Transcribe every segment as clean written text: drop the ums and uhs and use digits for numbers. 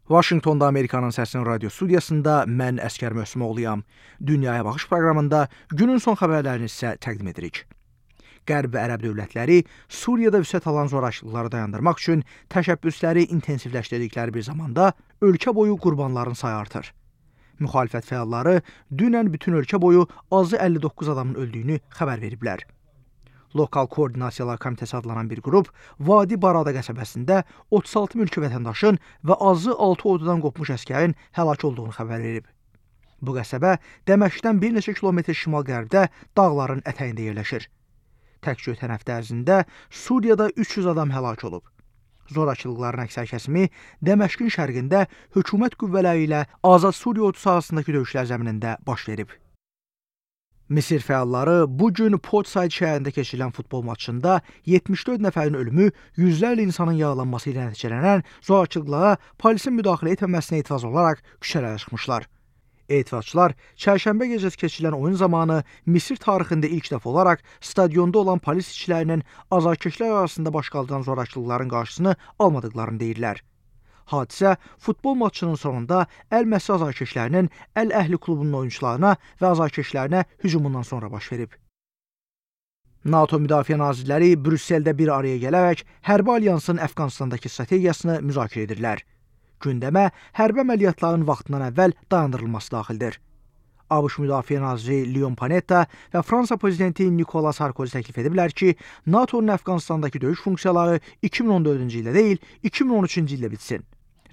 Vaşinqtonda Amerikanın Səsinin radio studiyasında mən Əskər Möhsümoğluyam. Dünyaya baxış proqramında günün son xəbərlərini sizə təqdim edirik. Qərb və Ərəb dövlətləri Suriyada vüsət alan zorakılıqları dayandırmaq üçün təşəbbüsləri intensivləşdirdikləri bir zamanda ölkə boyu qurbanların sayı artır. Müxalifət fəalları dünən bütün ölkə boyu azı 59 adamın öldüyünü xəbər veriblər. Lokal Koordinasiyalar Komitəsi adlanan bir qrup Vadi Barada qəsəbəsində 36 mülki vətəndaşın və azı 6 ordudan qopmuş əskərin həlak olduğunu xəbər verib. Bu qəsəbə Dəməşqdən bir neçə kilometr şimal-qərbdə dağların ətəyində yerləşir. Təkcə ötən həftə ərzində Suriyada 300 adam həlak olub. Zorakılıqların əksər kəsimi Dəməşqin şərqində hökumət qüvvələri ilə Azad Suriya ordusu arasındakı döyüşlər zəminində baş verib. Misir fəalları bugün Port Said şəhərində keçirilən futbol maçında 74 nəfərin ölümü, yüzlərlə insanın yaralanması ilə nəticələnən zorakılıqlara polisin müdaxilə etməməsinə etiraz olaraq küçələrə çıxmışlar. Etirazçılar çərşənbə gecəsi keçirilən oyun zamanı Misir tarixində ilk dəfə olaraq stadionda olan polis işçilərinin azarkeşlər arasında baş qaldıran zorakılıqların qarşısını almadıqlarını deyirlər. Hadisə futbol maçının sonunda Əl-Məsri azarkeşlərinin Əl-Əhli klubunun oyunçularına və azarkeşlərinə hücumundan sonra baş verib. NATO Müdafiə Nazirləri Brüsseldə bir araya gələrək hərbi alyansın Əfqanistandakı strategiyasını müzakirə edirlər. Gündəmə hərbi əməliyyatların vaxtından əvvəl dayandırılması daxildir. ABŞ Müdafiə Naziri Leon Panetta və Fransa prezidenti Nicolas Sarkozy təklif ediblər ki, NATO'nun Əfqanistandakı döyüş funksiyaları 2014-cü ildə deyil, 2013-cü ildə bitsin.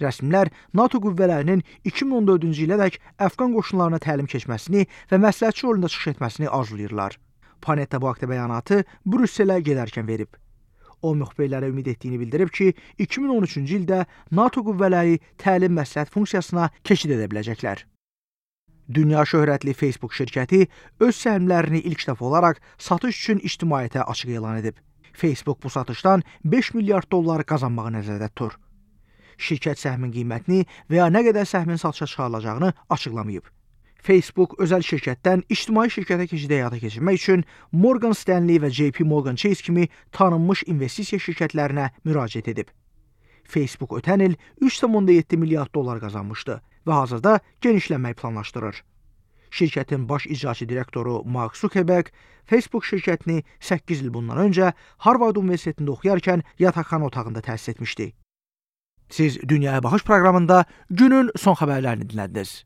Rəsmilər NATO qüvvələrinin 2014-cü ilədək Əfqan qoşunlarına təlim keçməsini və məsləhətçi rolunda çıxış etməsini arzulayırlar. Panetta bu haqda bəyanatı Brüsselə gedərkən verib. O, müxbirlərə ümid etdiyini bildirib ki, 2013-cü ildə NATO qüvvələri təlim məsləhət funksiyasına keçid edə biləcəklər. Dünya şöhrətli Facebook şirkəti öz səhmlərini ilk dəfə olaraq satış üçün ictimaiyyətə açıq elan edib. Facebook bu satışdan 5 milyard dollar qazanmağı nəzərdə tutur. Şirkət səhmin qiymətini və ya nə qədər səhmin satışa çıxarılacağını açıqlamayıb. Facebook özəl şirkətdən ictimai şirkətə keçid həyata keçirmək üçün Morgan Stanley və JP Morgan Chase kimi tanınmış investisiya şirkətlərinə müraciət edib. Facebook ötən il 3,7 milyard dollar qazanmışdı və hazırda genişlənmək planlaşdırır. Şirkətin baş icraçı direktoru Mark Zuckerberg Facebook şirkətini 8 il bundan öncə Harvard Universitetində oxuyarkən yataqxana otağında təsis etmişdi. Siz Dünyaya Baxış proqramında günün son xəbərlərini dinlədiniz.